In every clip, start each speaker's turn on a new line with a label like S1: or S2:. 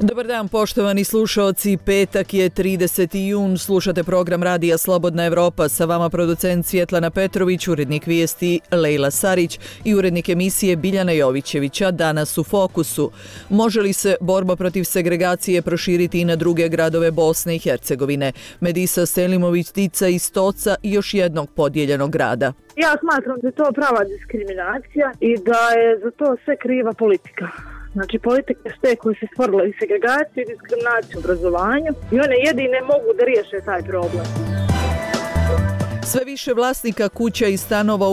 S1: Dobar dan poštovani slušaoci, petak je 30. jun, slušate program Radija Slobodna Evropa, sa vama producent Svjetlana Petrović, urednik vijesti Lejla Sarić i urednik emisije Biljana Jovićevića. Danas u fokusu. Može li se borba protiv segregacije proširiti i na druge gradove Bosne i Hercegovine? Medisa Selimović-Tica iz Stoca i još jednog podijeljenog grada.
S2: Ja smatram da je to prava diskriminacija i da je za to sve kriva politika. Znači, politike su te koje se stvorile i segregaciju i diskriminaciju u obrazovanju i one jedine mogu da riješe taj problem.
S1: Sve više vlasnika kuća i stanova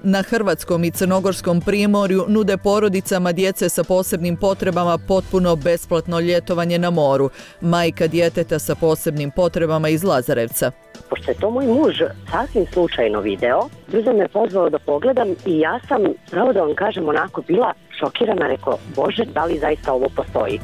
S1: na hrvatskom i crnogorskom primorju nude porodicama djece sa posebnim potrebama potpuno besplatno ljetovanje na moru. Majka djeteta sa posebnim potrebama iz Lazarevca.
S3: Pošto je to moj muž sasvim slučajno video, brzo me pozvao da pogledam i ja sam, pravo da vam kažem, onako bila šokirana, rekao, Bože, da li zaista ovo postoji?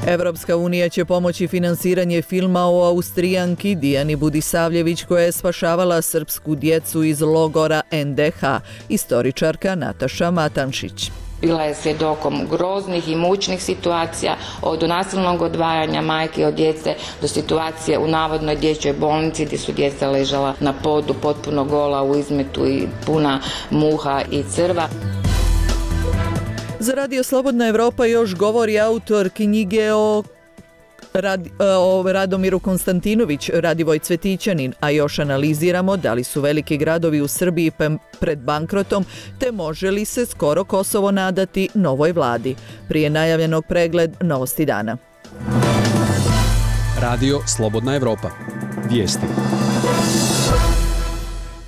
S1: Evropska unija će pomoći finansiranje filma o Austrijanki Dijani Budisavljević koja je spašavala srpsku djecu iz logora NDH, istoričarka Nataša Matanšić.
S4: Bila je svjedokom groznih i mučnih situacija, od nasilnog odvajanja majke od djece do situacije u navodnoj dječjoj bolnici gdje su djeca ležala na podu potpuno gola u izmetu i puna muha i crva.
S1: Za Radio Slobodna Evropa još govori autor knjige o Radomiru Konstantinović, Radivoj Cvetićanin, a još analiziramo da li su veliki gradovi u Srbiji pred bankrotom, te može li se skoro Kosovo nadati novoj vladi. Prije najavljenog pregled novosti dana.
S5: Radio Slobodna Evropa. Vijesti.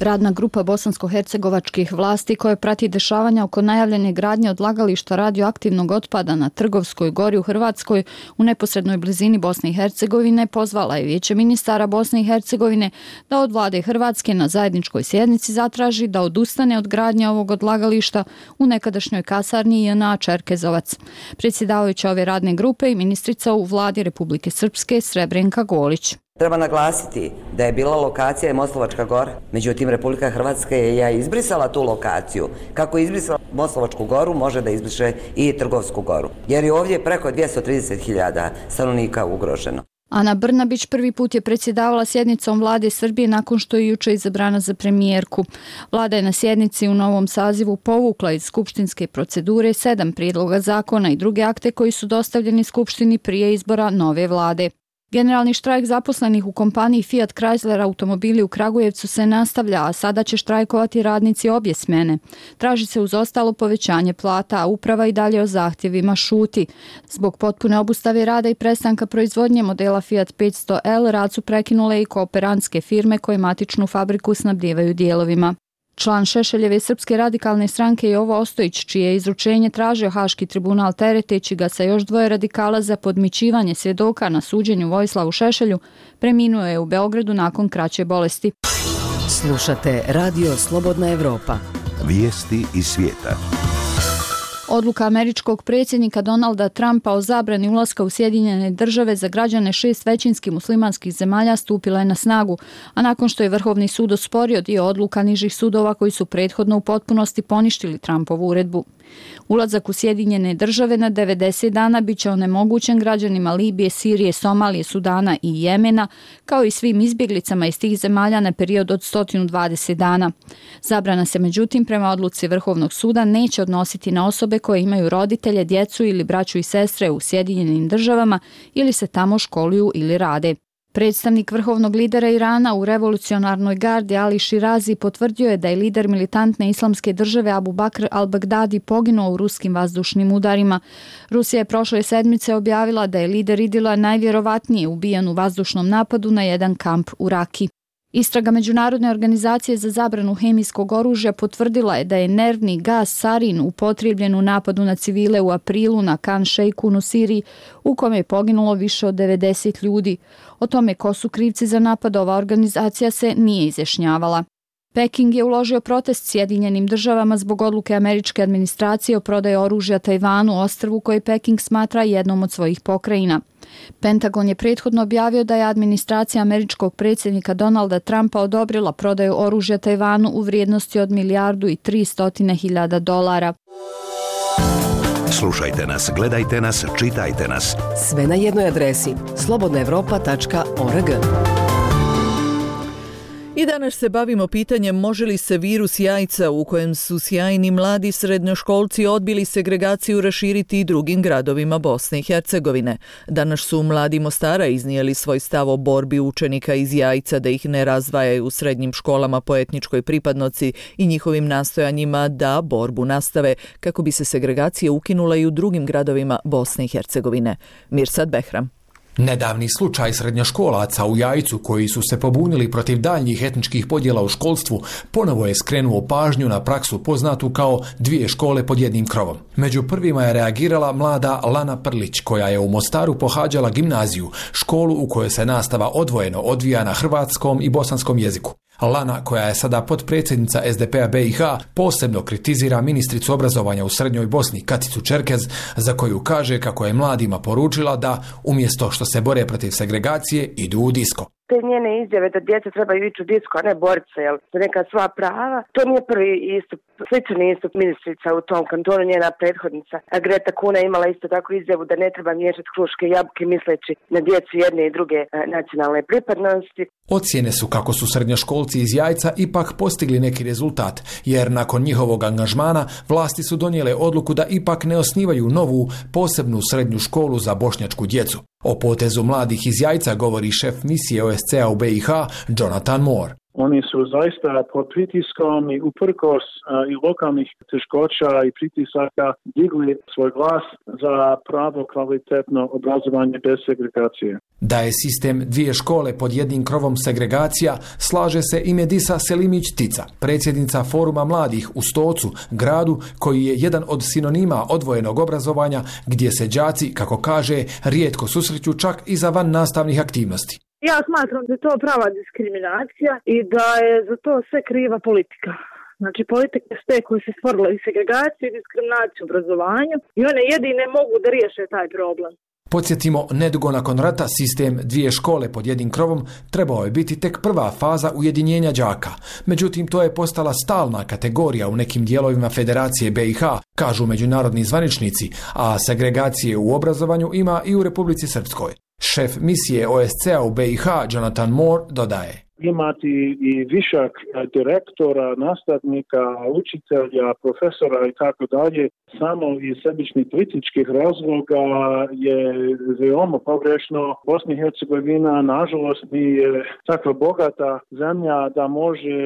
S6: Radna grupa bosansko-hercegovačkih vlasti koja prati dešavanja oko najavljene gradnje odlagališta radioaktivnog otpada na Trgovskoj gori u Hrvatskoj u neposrednoj blizini Bosne i Hercegovine pozvala je Vijeće ministara Bosne i Hercegovine da od vlade Hrvatske na zajedničkoj sjednici zatraži da odustane od gradnje ovog odlagališta u nekadašnjoj kasarni JNA Čerkezovac. Predsjedavajuća ove radne grupe i ministrica u vladi Republike Srpske Srebrenka Golić.
S7: Treba naglasiti da je bila lokacija Moslavačka gora, međutim Republika Hrvatska je izbrisala tu lokaciju. Kako je izbrisala Moslavačku goru, može da izbriše i Trgovsku goru, jer je ovdje preko 230.000 stanovnika ugroženo.
S6: Ana Brnabić prvi put je predsjedavala sjednicom vlade Srbije nakon što je jučer izabrana za premijerku. Vlada je na sjednici u novom sazivu povukla iz skupštinske procedure 7 prijedloga zakona i druge akte koji su dostavljeni skupštini prije izbora nove vlade. Generalni štrajk zaposlenih u kompaniji Fiat Chrysler automobili u Kragujevcu se nastavlja, a sada će štrajkovati radnici obje smjene. Traži se uz ostalo povećanje plata, a uprava i dalje o zahtjevima šuti. Zbog potpune obustave rada i prestanka proizvodnje modela Fiat 500L rad su prekinule i kooperantske firme koje matičnu fabriku snabdijevaju dijelovima. Član Šešeljeve Srpske radikalne stranke Jovo Ostojić, čije je izručenje tražio Haški tribunal tereteći ga sa još 2 radikala za podmićivanje svjedoka na suđenju Vojislavu Šešelju, preminuo je u Beogradu nakon kraće bolesti.
S8: Slušate Radio Slobodna Evropa.
S9: Vijesti iz svijeta.
S6: Odluka američkog predsjednika Donalda Trumpa o zabrani ulaska u Sjedinjene države za građane 6 većinskih muslimanskih zemalja stupila je na snagu, a nakon što je Vrhovni sud osporio dio odluka nižih sudova koji su prethodno u potpunosti poništili Trumpovu uredbu. Ulazak u Sjedinjene države na 90 dana bit će onemogućen građanima Libije, Sirije, Somalije, Sudana i Jemena, kao i svim izbjeglicama iz tih zemalja na period od 120 dana. Zabrana se međutim prema odluci Vrhovnog suda neće odnositi na osobe koje imaju roditelje, djecu ili braću i sestre u Sjedinjenim državama ili se tamo školuju ili rade. Predstavnik vrhovnog lidera Irana u revolucionarnoj gardi Ali Širazi potvrdio je da je lider militantne islamske države Abu Bakr al-Baghdadi poginuo u ruskim vazdušnim udarima. Rusija je prošle sedmice objavila da je lider Idila najvjerovatnije ubijen u vazdušnom napadu na jedan kamp u Raki. Istraga Međunarodne organizacije za zabranu hemijskog oružja potvrdila je da je nervni gas sarin upotrijebljen u napadu na civile u aprilu na Khan Sheikhoun u Siriji, u kome je poginulo više od 90 ljudi. O tome ko su krivci za napad ova organizacija se nije izjašnjavala. Peking je uložio protest Sjedinjenim državama zbog odluke američke administracije o prodaji oružja Tajvanu, ostrvu koje Peking smatra jednom od svojih pokrajina. Pentagon je prethodno objavio da je administracija američkog predsjednika Donalda Trumpa odobrila prodaju oružja Tajvanu u vrijednosti od $1,3 milijarde.
S9: Slušajte nas, gledajte nas, čitajte nas.
S8: Sve na jednoj adresi slobodnaevropa.org.
S1: I danas se bavimo pitanjem može li se virus jajca u kojem su sjajni mladi srednjoškolci odbili segregaciju raširiti i drugim gradovima Bosne i Hercegovine. Danas su mladi Mostara iznijeli svoj stav o borbi učenika iz Jajca da ih ne razdvajaju u srednjim školama po etničkoj pripadnosti i njihovim nastojanjima da borbu nastave kako bi se segregacija ukinula i u drugim gradovima Bosne i Hercegovine. Mirsad Behram.
S10: Nedavni slučaj srednjoškolaca u Jajcu koji su se pobunili protiv daljnjih etničkih podjela u školstvu ponovo je skrenuo pažnju na praksu poznatu kao dvije škole pod jednim krovom. Među prvima je reagirala mlada Lana Prlić koja je u Mostaru pohađala gimnaziju, školu u kojoj se nastava odvojeno odvija na hrvatskom i bosanskom jeziku. Lana, koja je sada potpredsjednica SDP-a BiH, posebno kritizira ministricu obrazovanja u Srednjoj Bosni Katicu Čerkez, za koju kaže kako je mladima poručila da, umjesto što se bore protiv segregacije, idu u disko.
S11: Te njene izjave da djeca trebaju ići u disko, a ne boriti se za neka sva prava, to nije prvi istup. Sličan istup ministrica u tom kantonu, njena prethodnica Greta Kuna imala isto tako izjavu da ne treba miješati kruške i jabuke misleći na djecu jedne i druge nacionalne pripadnosti.
S10: Ocjene su kako su srednjoškolci iz Jajca ipak postigli neki rezultat, jer nakon njihovog angažmana vlasti su donijele odluku da ipak ne osnivaju novu, posebnu srednju školu za bošnjačku djecu. O potezu mladih iz Jajca govori šef misije OSCE-a u BiH, Jonathan Moore.
S12: Oni su zaista pod pritiskom i uprkos i lokalnih teškoća i pritisaka digli svoj glas za pravo kvalitetno obrazovanje bez segregacije.
S10: Da je sistem dvije škole pod jednim krovom segregacija, slaže se i Medisa Selimić-Tica, predsjednica Foruma mladih u Stocu, gradu koji je jedan od sinonima odvojenog obrazovanja gdje se đaci, kako kaže, rijetko susreću čak i za van nastavnih aktivnosti.
S2: Ja smatram da je to prava diskriminacija i da je za to sve kriva politika. Znači, politike su te koje se stvorile i segregaciju i diskriminaciju u obrazovanju i one jedine mogu da riješe taj problem.
S10: Podsjetimo, nedugo nakon rata sistem dvije škole pod jednim krovom trebao je biti tek prva faza ujedinjenja đaka. Međutim, to je postala stalna kategorija u nekim dijelovima Federacije BiH, kažu međunarodni zvaničnici, a segregacije u obrazovanju ima i u Republici Srpskoj. Šef misije OSCE-a u BiH, Jonathan Moore, dodaje:
S12: Imati i višak direktora, nastavnika, učitelja, profesora i tako dalje, samo iz sebičnih političkih razloga je veoma pogrešno. Bosna i Hercegovina, nažalost, nije takva bogata zemlja da može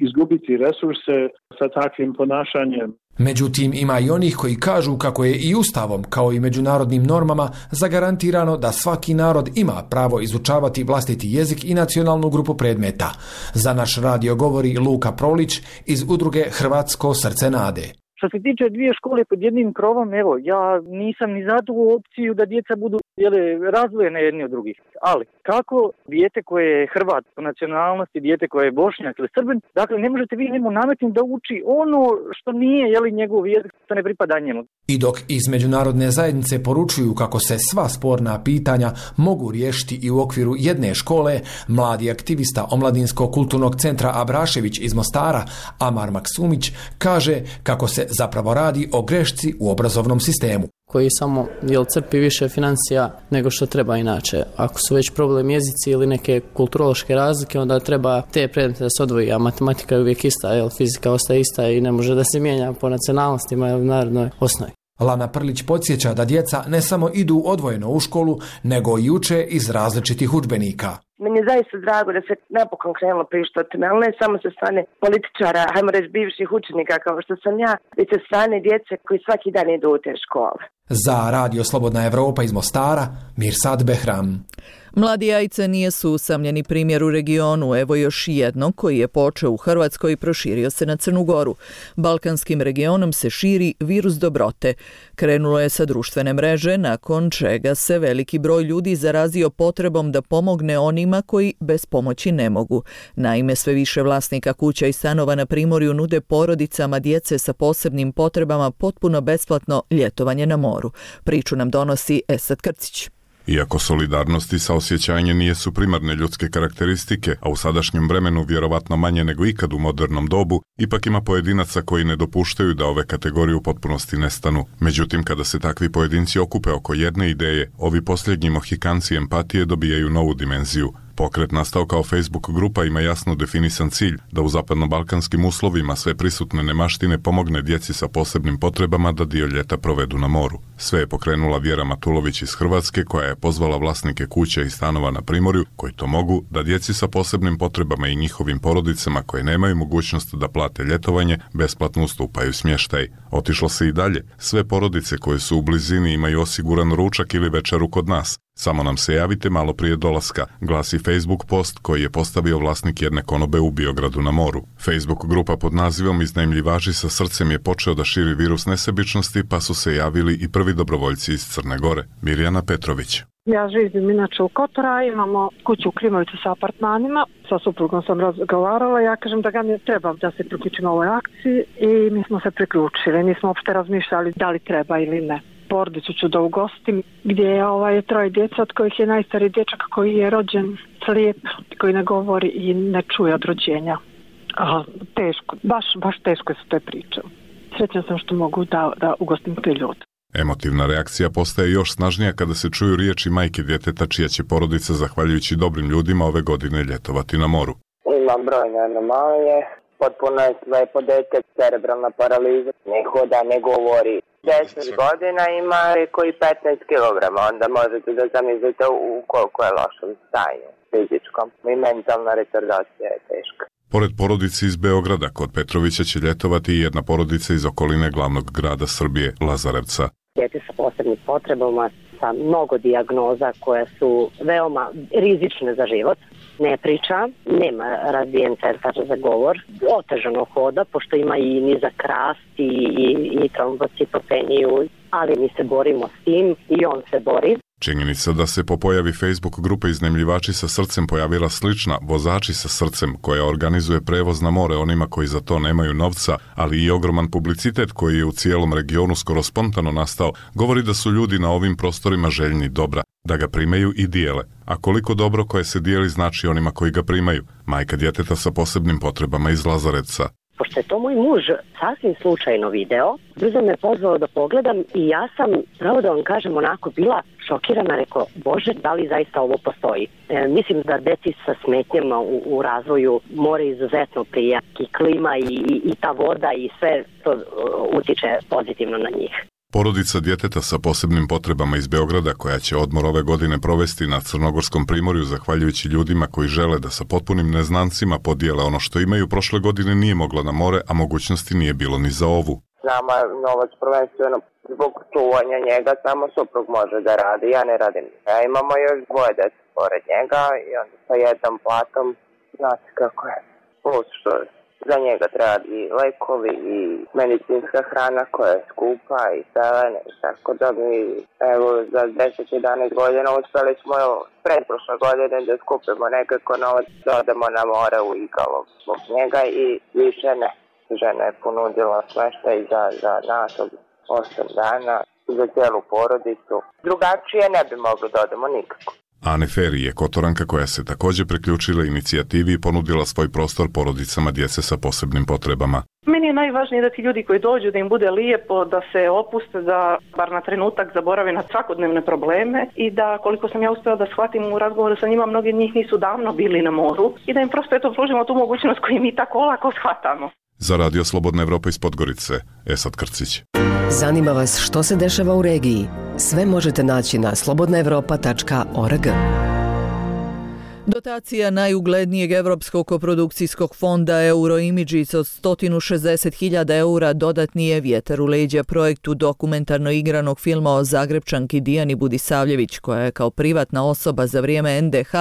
S12: izgubiti resurse sa takvim ponašanjem.
S10: Međutim, ima i onih koji kažu kako je i Ustavom, kao i međunarodnim normama, zagarantirano da svaki narod ima pravo izučavati vlastiti jezik i nacionalnu grupu predmeta. Za naš radio govori Luka Prolić iz udruge Hrvatsko srce nade.
S13: Što se tiče dvije škole pod jednim krovom, evo, ja nisam ni za tu opciju da djeca budu razdvojene jedni od drugih. Ali, kako dijete koje je Hrvat po nacionalnosti, dijete koje je Bošnjak ili Srbin, dakle, ne možete vi njemu nametnuti da uči ono što nije, njegov jezik, što ne pripada njemu.
S10: I dok iz međunarodne zajednice poručuju kako se sva sporna pitanja mogu riješiti i u okviru jedne škole, mladi aktivista Omladinskog kulturnog centra Abrašević iz Mostara, Amar Maksumić, kaže kako se zapravo radi o grešci u obrazovnom sistemu.
S14: Koji samo crpi više financija nego što treba inače. Ako su već problem jezici ili neke kulturološke razlike, onda treba te predmete da se odvoji, a matematika je uvijek ista, fizika ostaje ista i ne može da se mijenja po nacionalnostima ili narodnoj osnovi.
S10: Lana Prlić podsjeća da djeca ne samo idu odvojeno u školu, nego i uče iz različitih udžbenika.
S11: Meni je zaista drago da se napokon krenulo pričati o tome, ali ne samo sa strane političara, hajmo reći bivših učenika kao što sam ja, već sa strane djece koji svaki dan idu u te škole.
S10: Za Radio Slobodna Evropa iz Mostara, Mirsad Behram.
S1: Mladi Jajce nisu usamljeni primjer u regionu, evo još jednog koji je počeo u Hrvatskoj i proširio se na Crnu Goru. Balkanskim regionom se širi virus dobrote. Krenulo je sa društvene mreže, nakon čega se veliki broj ljudi zarazio potrebom da pomogne onima koji bez pomoći ne mogu. Naime, sve više vlasnika kuća i stanova na Primorju nude porodicama djece sa posebnim potrebama potpuno besplatno ljetovanje na moru. Priču nam donosi Esad Krcić.
S15: Iako solidarnost i saosjećanje nijesu primarne ljudske karakteristike, a u sadašnjem vremenu vjerovatno manje nego ikad u modernom dobu, ipak ima pojedinaca koji ne dopuštaju da ove kategorije u potpunosti nestanu. Međutim, kada se takvi pojedinci okupe oko jedne ideje, ovi posljednji mohikanci empatije dobijaju novu dimenziju. Pokret nastao kao Facebook grupa ima jasno definisan cilj da u zapadnobalkanskim uslovima sve prisutne nemaštine pomogne djeci sa posebnim potrebama da dio ljeta provedu na moru. Sve je pokrenula Vjera Matulović iz Hrvatske koja je pozvala vlasnike kuća i stanova na Primorju koji to mogu da djeci sa posebnim potrebama i njihovim porodicama koje nemaju mogućnost da plate ljetovanje besplatno ustupaju smještaj. Otišlo se i dalje. Sve porodice koje su u blizini imaju osiguran ručak ili večeru kod nas. Samo nam se javite malo prije dolaska, glasi Facebook post koji je postavio vlasnik jedne konobe u Biogradu na moru. Facebook grupa pod nazivom Iznajmljivači sa srcem je počeo da širi virus nesebičnosti, pa su se javili i prvi dobrovoljci iz Crne Gore. Mirjana Petrović.
S16: Ja živim inače u Kotora, imamo kuću u Klimoviću sa apartmanima, sa suprugom sam razgovarala, ja kažem da ga mi treba da se priključimo ovoj akciji i mi smo se priključili, nismo uopšte razmišljali da li treba ili ne. Porodicu ću da ugostim gdje je 3 djeca od kojih je najstariji dječak koji je rođen slijep, koji ne govori i ne čuje od rođenja. Teško, baš teško su te priče. Srećna sam što mogu da ugostim te ljude.
S15: Emotivna reakcija postaje još snažnija kada se čuju riječi majke djeteta čija će porodica zahvaljujući dobrim ljudima ove godine ljetovati na moru.
S17: Imam brojne anomalije, potpuno je slepo dete, cerebralna paraliza, ne hoda, ne govori. 10 godina ima koji 15 kg, onda možete da zamislite u koliko je lošom stanju fizičkom. I mentalna retardacija je teška.
S15: Pored porodice iz Beograda, kod Petrovića će ljetovati i jedna porodica iz okoline glavnog grada Srbije, Lazarevca.
S3: Djece sa posebnim potrebama, sa mnogo dijagnoza koje su veoma rizične za život. Ne priča, nema razvijen centar za govor, otežano hoda, pošto ima i nizak rast i trombocitopeniju, ali mi se borimo s tim i on se bori.
S15: Činjenica da se po pojavi Facebook grupe Iznajmljivači sa srcem pojavila slična Vozači sa srcem koja organizuje prevoz na more onima koji za to nemaju novca, ali i ogroman publicitet koji je u cijelom regionu skoro spontano nastao, govori da su ljudi na ovim prostorima željni dobra, da ga primaju i dijele. A koliko dobro koje se dijeli znači onima koji ga primaju, majka djeteta sa posebnim potrebama iz Lazarevca.
S3: Pošto je to moj muž sasvim slučajno video, brzo me pozvao da pogledam i ja sam, pravo da vam kažem, onako bila šokirana, rekao, Bože, da li zaista ovo postoji? Mislim da deci sa smetnjama u razvoju more izuzetno prija i klima i ta voda i sve to utiče pozitivno na njih.
S15: Porodica djeteta sa posebnim potrebama iz Beograda koja će odmor ove godine provesti na Crnogorskom primorju zahvaljujući ljudima koji žele da sa potpunim neznancima podijele ono što imaju, prošle godine nije mogla na more, a mogućnosti nije bilo ni za ovu.
S17: Nama novac prvenstveno zbog čuvanja njega samo suprug može da radi, ja ne radim. Ja imamo još 2 djece pored njega i onda sa jednom platom, znate kako je, plus što za njega treba i lekovi i medicinska hrana koja je skupa i selene, tako da mi evo za 10-11 godina uspjeli smo pretprošle godine da skupimo nekako novac da odemo na more u Igalo zbog njega i više ne. Žena je ponudila smještaj za nas od 8 dana za cijelu porodicu. Drugačije ne bi mogli da odemo nikako.
S15: Ane Feri je Kotoranka koja se također priključila inicijativi i ponudila svoj prostor porodicama djece sa posebnim potrebama.
S18: Meni je najvažnije da ti ljudi koji dođu, da im bude lijepo, da se opuste, da bar na trenutak zaborave na svakodnevne probleme i da, koliko sam ja uspjela da shvatim u razgovoru sa njima, mnogi od njih nisu davno bili na moru i da im prosto pružimo tu mogućnost koju mi tako olako shvatamo.
S15: Za Radio Slobodna Evropa iz Podgorice, Esad Krcić.
S8: Zanima vas što se dešava u regiji? Sve možete naći na slobodnaevropa.org.
S1: Dotacija najuglednijeg evropskog koprodukcijskog fonda Euroimages od 160.000 eura dodatni je vjetar u leđa projektu dokumentarno igranog filma o Zagrebčanki Dijani Budisavljević, koja je kao privatna osoba za vrijeme NDH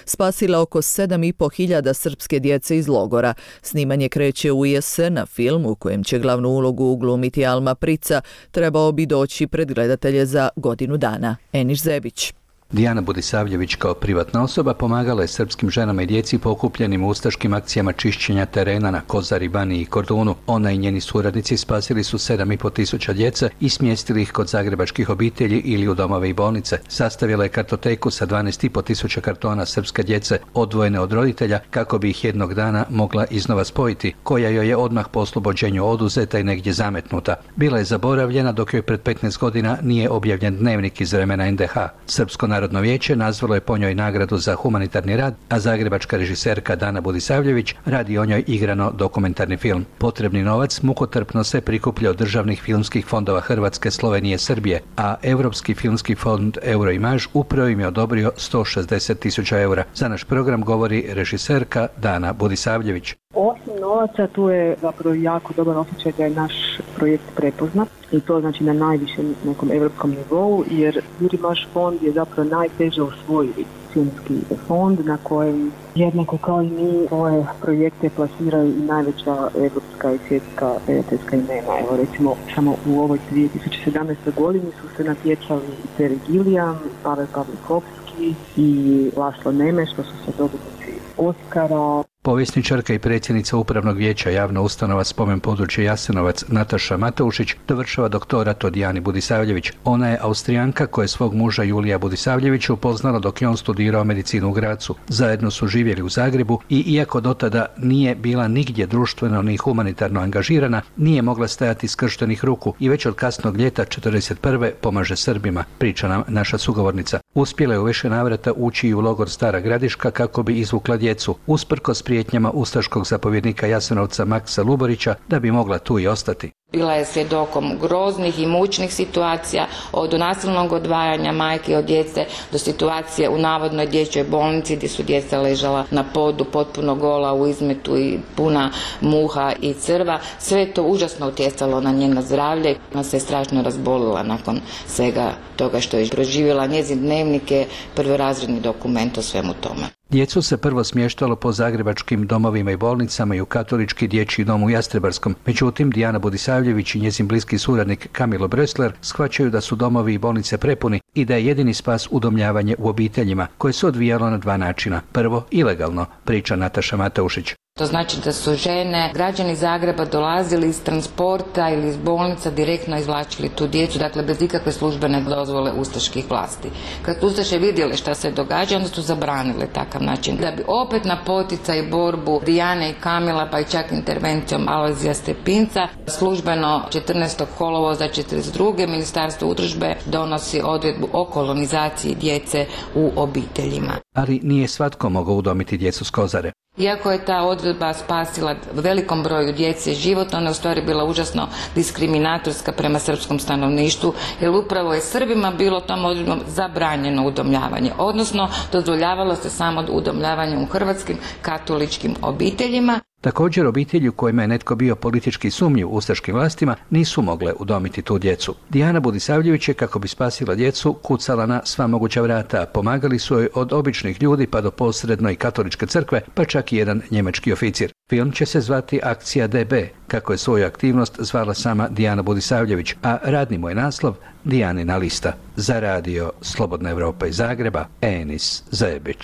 S1: spasila oko 7.500 srpske djece iz logora. Snimanje kreće u jesen, na film u kojem će glavnu ulogu glumiti Alma Prica trebao bi doći pred gledatelje za godinu dana. Eniš Zebić.
S19: Dijana Budisavljević kao privatna osoba pomagala je srpskim ženama i djeci pokupljenim u ustaškim akcijama čišćenja terena na Kozari, Baniji i Kordunu. Ona i njeni suradnici spasili su 7.500 djece i smjestili ih kod zagrebačkih obitelji ili u domove i bolnice. Sastavila je kartoteku sa 12.500 kartona srpske djece odvojene od roditelja kako bi ih jednog dana mogla iznova spojiti, koja joj je odmah po oslobođenju oduzeta i negdje zametnuta. Bila je zaboravljena dok joj pred 15 godina nije objavljen dnevnik iz vremena NDH. Srpsko Narodno vijeće nazvalo je po njoj nagradu za humanitarni rad, a zagrebačka režiserka Dana Budisavljević radi o njoj igrano dokumentarni film. Potrebni novac mukotrpno se prikuplja od državnih filmskih fondova Hrvatske, Slovenije, Srbije, a Europski filmski fond Euroimage upravo im je odobrio 160.000 eura. Za naš program govori režiserka Dana Budisavljević.
S20: Osim novaca, tu je zapravo jako dobar osjećaj da je naš projekt prepoznat i to znači na najvišem nekom europskom nivou, jer Euroimage fond je zapravo najteže osvojiti filmski fond na kojem jednako kao i mi svoje projekte plasiraju i najveća evropska i svjetska prijateljska imena. Evo recimo samo u ovoj 2017. godini su se natjecali Terry Gilliam, Pavel Pavlikovski i Laslo Nemeš, što su se dobitnici Oscara.
S19: Povjesničarka i predsjednica Upravnog vijeća javna ustanova Spomen područje Jasenovac Nataša Mateušić dovršava doktorat od Dijani Budisavljević. Ona je Austrijanka koja je svog muža Julija Budisavljevića upoznala dok je on studirao medicinu u Gracu. Zajedno su živjeli u Zagrebu i iako dotada nije bila nigdje društveno ni humanitarno angažirana, nije mogla stajati skrštenih ruku i već od kasnog ljeta 1941. pomaže Srbima, priča nam naša sugovornica. Uspjela je u više navrata ući i u logor Stara Gradiška kako bi izvukla djecu, usprkos prijetnjama ustaškog zapovjednika Jasenovca Maksa Luborića da bi mogla tu i ostati.
S4: Bila je svjedokom groznih i mučnih situacija, od nasilnog odvajanja majke od djece do situacije u navodnoj dječjoj bolnici gdje su djeca ležala na podu potpuno gola u izmetu i puna muha i crva. Sve je to užasno utjecalo na njeno zdravlje. Ona se strašno razbolila nakon svega toga što je proživjela. Njezin dnevnik je prvorazredni dokument o svemu tome.
S19: Djecu se prvo smještalo po zagrebačkim domovima i bolnicama i u katolički dječji dom u Jastrebarskom. Međutim, Dijana Budisavljević i njezin bliski suradnik Kamilo Brösler shvaćaju da su domovi i bolnice prepuni i da je jedini spas udomljavanje u obiteljima, koje se odvijalo na dva načina. Prvo, ilegalno, priča Nataša Mateušić.
S4: To znači da su žene, građani Zagreba dolazili iz transporta ili iz bolnica, direktno izvlačili tu djecu, dakle bez ikakve službene dozvole ustaških vlasti. Kad su ustaše vidjele šta se događa, onda su zabranile takav način. Da bi opet na poticaj i borbu Dijane i Kamila, pa i čak intervencijom Alojzija Stepinca, službeno 14. kolovoza 1942. Ministarstvo udružbe donosi odredbu o kolonizaciji djece u obiteljima.
S19: Ali nije svatko mogao udomiti djecu s Kozare.
S4: Iako je ta odredba spasila velikom broju djece život, ona je u stvari bila užasno diskriminatorska prema srpskom stanovništvu, jer upravo je Srbima bilo tom odredbom zabranjeno udomljavanje, odnosno dozvoljavalo se samo udomljavanje u hrvatskim katoličkim obiteljima.
S19: Također obitelji u kojima je netko bio politički sumnjiv ustaškim vlastima nisu mogle udomiti tu djecu. Dijana Budisavljević je, kako bi spasila djecu, kucala na sva moguća vrata. Pomagali su joj od običnih ljudi pa do posredno i katoličke crkve, pa čak i jedan njemački oficir. Film će se zvati Akcija DB, kako je svoju aktivnost zvala sama Dijana Budisavljević, a radni mu je naslov Dijanina lista. Za radio Slobodna Evropa iz Zagreba, Enis Zajebić.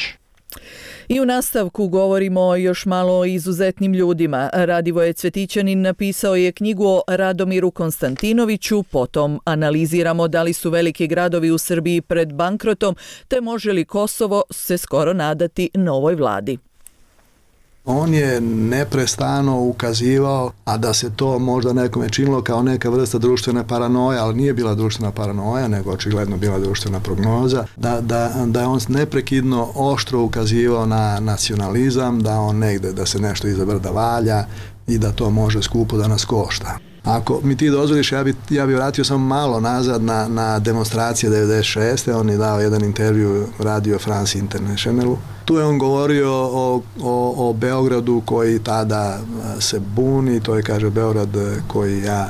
S1: I u nastavku govorimo još malo o izuzetnim ljudima. Radivoje Cvetićanin napisao je knjigu o Radomiru Konstantinoviću, potom analiziramo da li su veliki gradovi u Srbiji pred bankrotom, te može li Kosovo se skoro nadati novoj vladi.
S21: On je neprestano ukazivao, a da se to možda nekome činilo kao neka vrsta društvene paranoje, ali nije bila društvena paranoja, nego očigledno bila društvena prognoza, da je on neprekidno oštro ukazivao na nacionalizam, da on negde, da se nešto iza brda valja i da to može skupo da nas košta. Ako mi ti dozvoliš, ja bi vratio samo malo nazad na demonstracije 96. On je dao jedan intervju Radio France Internationalu. Tu je on govorio o Beogradu koji tada se buni, to je, kaže, Beograd koji ja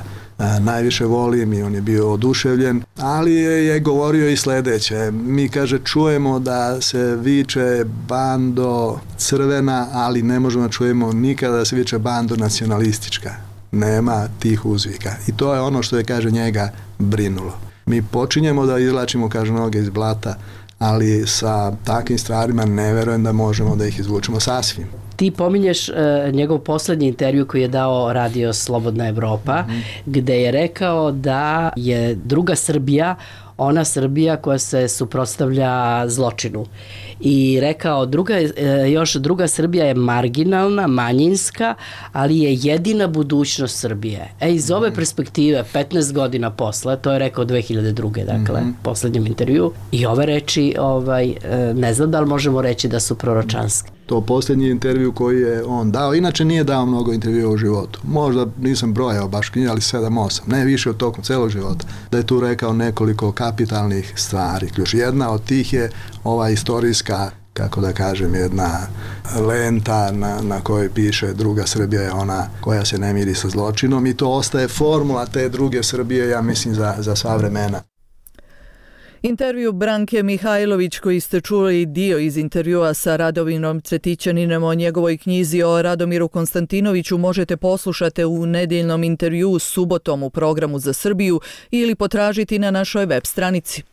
S21: najviše volim, i on je bio oduševljen, ali je govorio i sljedeće. Mi, kaže, čujemo da se viče bando crvena, ali ne možemo da čujemo nikada da se viče bando nacionalistička. Nema tih uzvika. I to je ono što je, kaže, njega brinulo. Mi počinjemo da izvlačimo, kaže, noge iz blata, ali sa takvim stvarima ne verujem da možemo da ih izvučemo sasvim.
S5: Ti pominješ njegov posljednji intervju koji je dao Radio Slobodna Evropa, gde je rekao da je druga Srbija ona Srbija koja se suprotstavlja zločinu. I rekao, druga Srbija je marginalna, manjinska, ali je jedina budućnost Srbije. Iz ove perspektive, 15 godina posle, to je rekao 2002. dakle, posljednjem intervju, i ove reči, ne znam da li možemo reći da su proročanske.
S21: To posljednji intervju koji je on dao, inače nije dao mnogo intervjua u životu. Možda nisam brojao baš knjige, ali 7-8, ne više od tokom celog života. Da je tu rekao nekoliko kapitalnih stvari. Ključ jedna od tih je ova istorijska, kako da kažem, jedna lenta na kojoj piše druga Srbija je ona koja se ne miri sa zločinom i to ostaje formula te druge Srbije, ja mislim, za sva vremena.
S1: Intervju Branke Mihajlović koji ste čuli dio iz intervjua sa Radomirom Cvetićaninom o njegovoj knjizi o Radomiru Konstantinoviću možete poslušati u nedjeljnom intervjuu subotom u programu za Srbiju ili potražiti na našoj web stranici.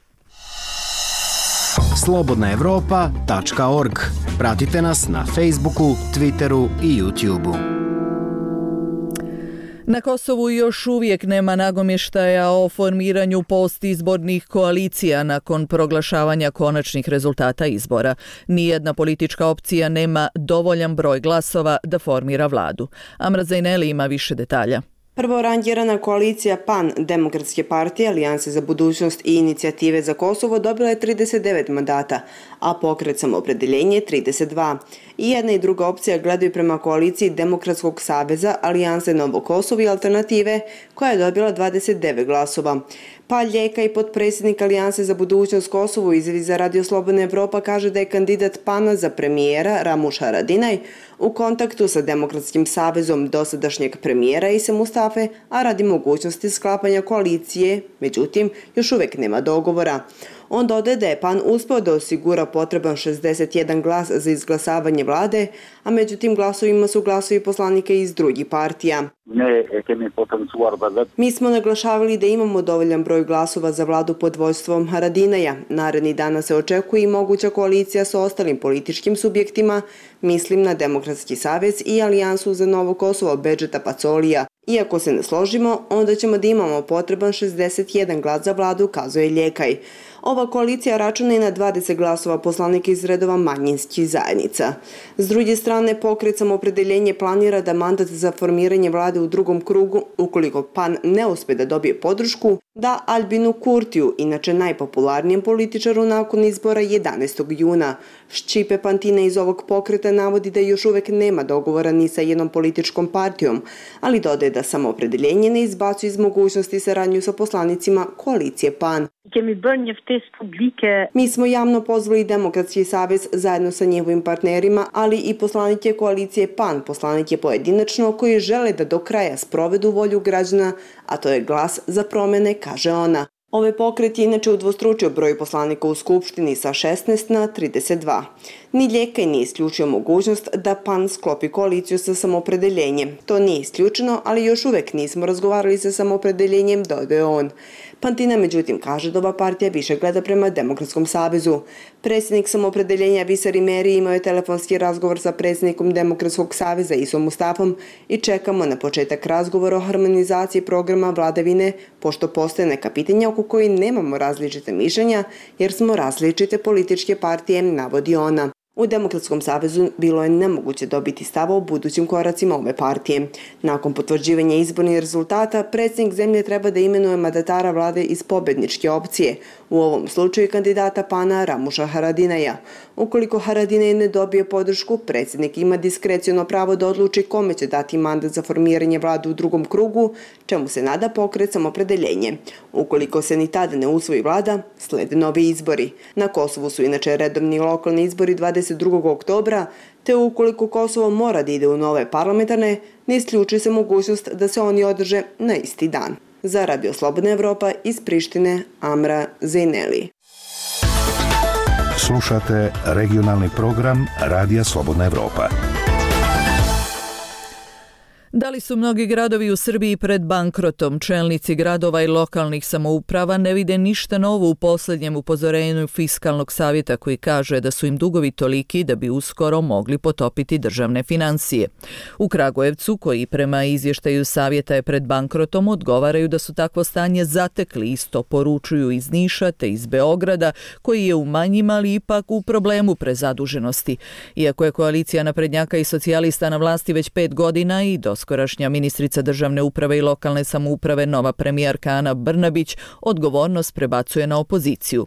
S22: slobodnaevropa.org. Pratite nas na Facebooku, Twitteru i YouTubeu.
S1: Na Kosovu još uvijek nema nagovještaja o formiranju postizbornih koalicija nakon proglašavanja konačnih rezultata izbora. Nijedna politička opcija nema dovoljan broj glasova da formira vladu. Amra Zajneli ima više detalja.
S23: Prvorangirana koalicija PAN, Demokratske partije, Alijanse za budućnost i Inicijative za Kosovo dobila je 39 mandata, a Pokret Samoopredeljenje 32. I jedna i druga opcija gledaju prema koaliciji Demokratskog saveza, Alijanse Novo Kosovo i Alternative, koja je dobila 29 glasova. Pal Ljeka i potpredsjednik Alijanse za budućnost Kosovo izjavi za Radio Slobodna Evropa kaže da je kandidat PAN-a za premijera Ramuš Haradinaj u kontaktu sa Demokratskim savezom dosadašnjeg premijera Ise Mustafe, a radi mogućnosti sklapanja koalicije, međutim, još uvijek nema dogovora. On dodaje da je PAN uspeo da osigura potreban 61 glas za izglasavanje vlade, a među tim glasovima su glasovi poslanika iz drugih partija. Mi smo naglašavali da imamo dovoljan broj glasova za vladu pod vođstvom Haradinaja. Naredni dana se očekuje i moguća koalicija sa ostalim političkim subjektima, mislim na Demokratski savez i Alijansu za Novo Kosovo Bedžeta Pacolija. Iako se ne složimo, onda ćemo da imamo potreban 61 glas za vladu, kazuje Ljekaj. Ova koalicija računa i na 20 glasova poslanika iz redova manjinskih zajednica. S druge strane, Pokret Samoopredeljenje planira da mandat za formiranje vlade u drugom krugu, ukoliko PAN ne uspe da dobije podršku, da Albinu Kurtiju, inače najpopularnijem političaru nakon izbora 11. juna. Ščipe Pantina iz ovog pokreta navodi da još uvek nema dogovora ni sa jednom političkom partijom, ali dodaje da Samoopredeljenje ne izbacuje iz mogućnosti saradnju sa poslanicima koalicije PAN. Mi smo javno pozvali Demokratski savez zajedno sa njihovim partnerima, ali i poslanike koalicije PAN, poslanike pojedinačno koji žele da do kraja sprovedu volju građana, a to je glas za promjene, kaže ona. Ovaj pokret je inače udvostručio broj poslanika u Skupštini sa 16 na 32. Ni Ljekaj nije isključio mogućnost da PAN sklopi koaliciju sa Samoopredeljenjem. To nije isključeno, ali još uvek nismo razgovarali sa Samoopredeljenjem, dodaje on. Pantina međutim kaže da ova partija više gleda prema Demokratskom savezu. Predsjednik Samoopredeljenja Visar Imeri imao je telefonski razgovor sa predsjednikom Demokratskog saveza Isom Mustafom i čekamo na početak razgovora o harmonizaciji programa vladavine, pošto postoje neka pitanja oko koji nemamo različite mišljenja jer smo različite političke partije, navodi ona. U Demokratskom savezu bilo je nemoguće dobiti stava o budućim koracima ove partije. Nakon potvrđivanja izbornih rezultata, predsjednik zemlje treba da imenuje mandatara vlade iz pobedničke opcije, u ovom slučaju kandidata PAN-a Ramuša Haradinaja. Ukoliko Haradinaj ne dobije podršku, predsjednik ima diskreciono pravo da odluči kome će dati mandat za formiranje vlade u drugom krugu, čemu se nada Pokret Samoopredeljenje. Ukoliko se ni tada ne usvoji vlada, slede novi izbori. Na Kosovu su inače redovni lokalni izbori 22. oktobra, te ukoliko Kosovo mora da ide u nove parlamentarne, ne isključuje se mogućnost da se oni održe na isti dan. Za Radio Slobodna Evropa iz Prištine, Amra Zajneli.
S9: Slušate regionalni program Radija Slobodna Evropa.
S1: Da li su mnogi gradovi u Srbiji pred bankrotom? Čelnici gradova i lokalnih samouprava ne vide ništa novo u posljednjem upozorenju Fiskalnog savjeta koji kaže da su im dugovi toliki da bi uskoro mogli potopiti državne financije. U Kragujevcu, koji prema izvještaju savjeta je pred bankrotom, odgovaraju da su takvo stanje zatekli, isto poručuju iz Niša te iz Beograda, koji je u manjim, ali ipak u problemu prezaduženosti. Iako je koalicija naprednjaka i socijalista na vlasti već 5 godina i doskorašnja ministrica državne uprave i lokalne samouprave, nova premijerka Ana Brnabić, odgovornost prebacuje na opoziciju.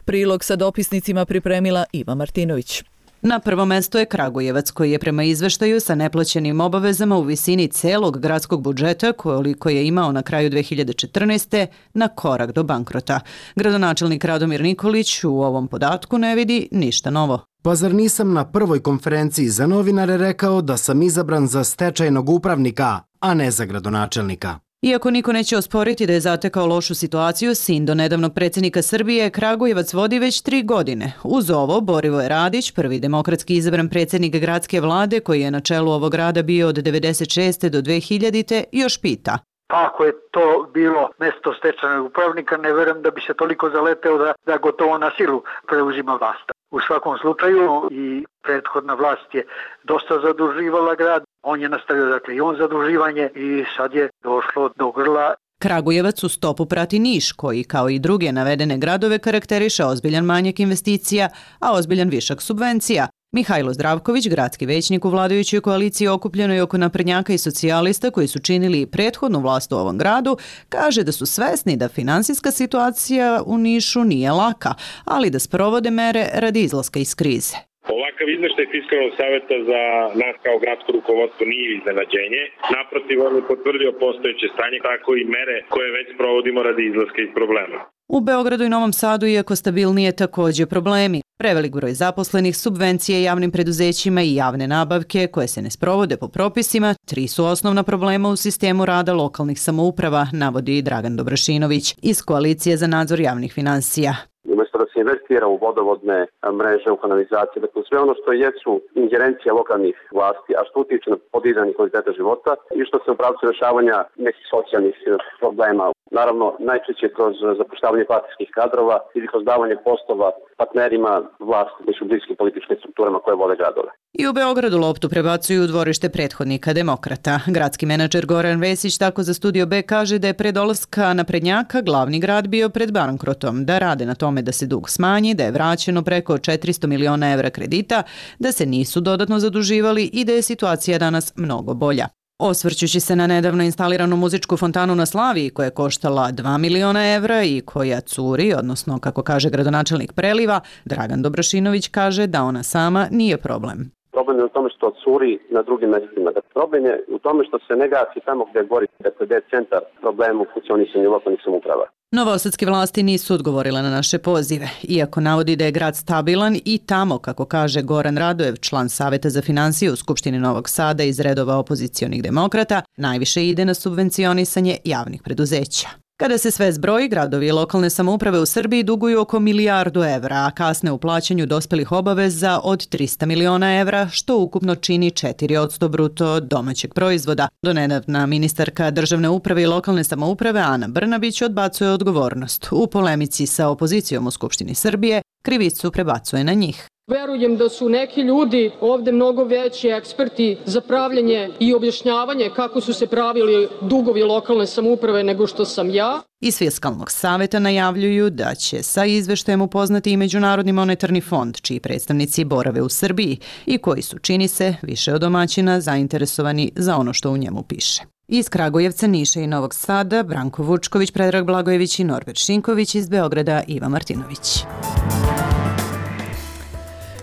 S1: Prilog sa dopisnicima pripremila Iva Martinović.
S2: Na prvo mesto je Kragujevac, koji je prema izveštaju sa neplaćenim obavezama u visini celog gradskog budžeta, koliko je imao na kraju 2014. na korak do bankrota. Gradonačelnik Radomir Nikolić u ovom podatku ne vidi ništa novo.
S22: Pa zar nisam na prvoj konferenciji za novinare rekao da sam izabran za stečajnog upravnika, a ne za gradonačelnika?
S2: Iako niko neće osporiti da je zatekao lošu situaciju, sin do nedavnog predsjednika Srbije, Kragujevac vodi već 3 godine. Uz ovo, Borivoje Radić, prvi demokratski izabran predsjednik gradske vlade, koji je na čelu ovog grada bio od 96. do 2000. još pita.
S6: Ako je to bilo mesto stečajnog upravnika, ne verujem da bi se toliko zaleteo da gotovo na silu preuzima vlast. U svakom slučaju i prethodna vlast je dosta zaduživala grad, on je nastavio dakle i on zaduživanje i sad je došlo do grla.
S2: Kragujevac u stopu prati Niš, koji kao i druge navedene gradove karakteriše ozbiljan manjak investicija, a ozbiljan višak subvencija. Mihajlo Zdravković, gradski većnik u vladajućoj koaliciji okupljenoj oko naprednjaka i socijalista koji su činili prethodnu vlast u ovom gradu, kaže da su svesni da finansijska situacija u Nišu nije laka, ali da sprovode mere radi izlaska iz krize.
S7: Ovakav izveštaj Fiskalnog savjeta za nas kao gradsko rukovodstvo nije iznenađenje. Naprotiv, on je potvrdio postojeće stanje, tako i mere koje već provodimo radi izlaska iz problema.
S2: U Beogradu i Novom Sadu, iako stabilnije, također problemi. Prevelik broj zaposlenih, subvencije javnim preduzećima i javne nabavke koje se ne sprovode po propisima, 3 su osnovna problema u sistemu rada lokalnih samouprava, navodi Dragan Dobrašinović iz Koalicije za nadzor javnih finansija.
S24: Umjesto da se investira u vodovodne mreže, u kanalizacije, dakle sve ono što jesu ingerencije lokalnih vlasti, a što utiče na podizanje kvaliteta života i što se u pravcu rješavanja nekih socijalnih problema. Naravno, najčešće kroz zapošljavanje partijskih kadrova ili kroz davanje poslova partnerima vlasti koji su bliski političkim strukturama koje vode gradove.
S2: I u Beogradu loptu prebacuju u dvorište prethodnika demokrata. Gradski menadžer Goran Vesić tako za Studio B kaže da je pre dolaska naprednjaka glavni grad bio pred bankrotom, da rade na tome da se dug smanji, da je vraćeno preko 400 miliona evra kredita, da se nisu dodatno zaduživali i da je situacija danas mnogo bolja. Osvrćući se na nedavno instaliranu muzičku fontanu na Slaviji koja je koštala 2 miliona evra i koja curi, odnosno kako kaže gradonačelnik Preliva, Dragan Dobrašinović kaže da ona sama nije problem.
S24: Problem je u tome što curi na drugim mjestima. Problem je u tome što se ne gasi tamo gdje gori, gdje je centar problemu funkcionisanju lokalnih samouprava.
S2: Novosadske vlasti nisu odgovorile na naše pozive, iako navodi da je grad stabilan i tamo, kako kaže Goran Radojev, član Saveta za financije u Skupštini Novog Sada iz redova opozicionih demokrata, najviše ide na subvencionisanje javnih preduzeća. Kada se sve zbroji, gradovi i lokalne samouprave u Srbiji duguju oko 1 milijardu evra, a kasne u plaćanju dospelih obaveza od 300 miliona evra, što ukupno čini 4% bruto domaćeg proizvoda. Donedavna ministarka državne uprave i lokalne samouprave Ana Brnabić odbacuje odgovornost. U polemici sa opozicijom u Skupštini Srbije krivicu prebacuje na njih.
S25: Verujem da su neki ljudi ovde mnogo veći eksperti za pravljenje i objašnjavanje kako su se pravili dugovi lokalne samouprave nego što sam ja.
S2: Iz Fiskalnog savjeta najavljuju da će sa izveštajem upoznati i Međunarodni monetarni fond, čiji predstavnici borave u Srbiji i koji su, čini se, više od domaćina zainteresovani za ono što u njemu piše. Iz Kragujevca, Niša i Novog Sada, Branko Vučković, Predrag Blagojević i Norbert Šinković, iz Beograda Iva Martinović.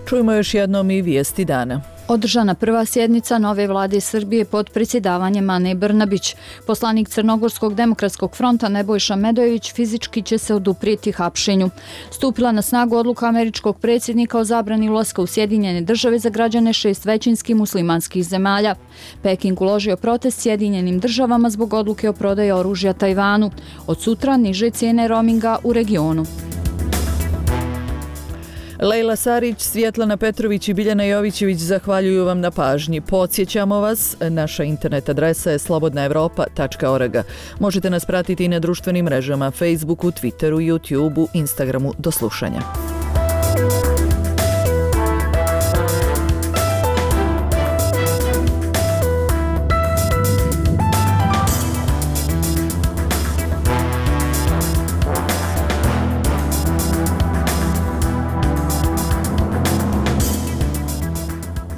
S1: Čujemo još jednom i vijesti dana.
S26: Održana prva sjednica nove vlade Srbije pod predsjedavanjem Ane Brnabić. Poslanik Crnogorskog demokratskog fronta Nebojša Medojević fizički će se oduprijeti hapšenju. Stupila na snagu odluka američkog predsjednika o zabrani ulaska u Sjedinjene države za građane 6 većinskih muslimanskih zemalja. Peking uložio protest Sjedinjenim državama zbog odluke o prodaji oružja Tajvanu. Od sutra niže cijene roaminga u regionu.
S1: Lejla Sarić, Svjetlana Petrović i Biljana Jovićević zahvaljuju vam na pažnji. Podsjećamo vas, naša internet adresa je slobodnaevropa.org. Možete nas pratiti i na društvenim mrežama, Facebooku, Twitteru, YouTubeu, Instagramu. Do slušanja.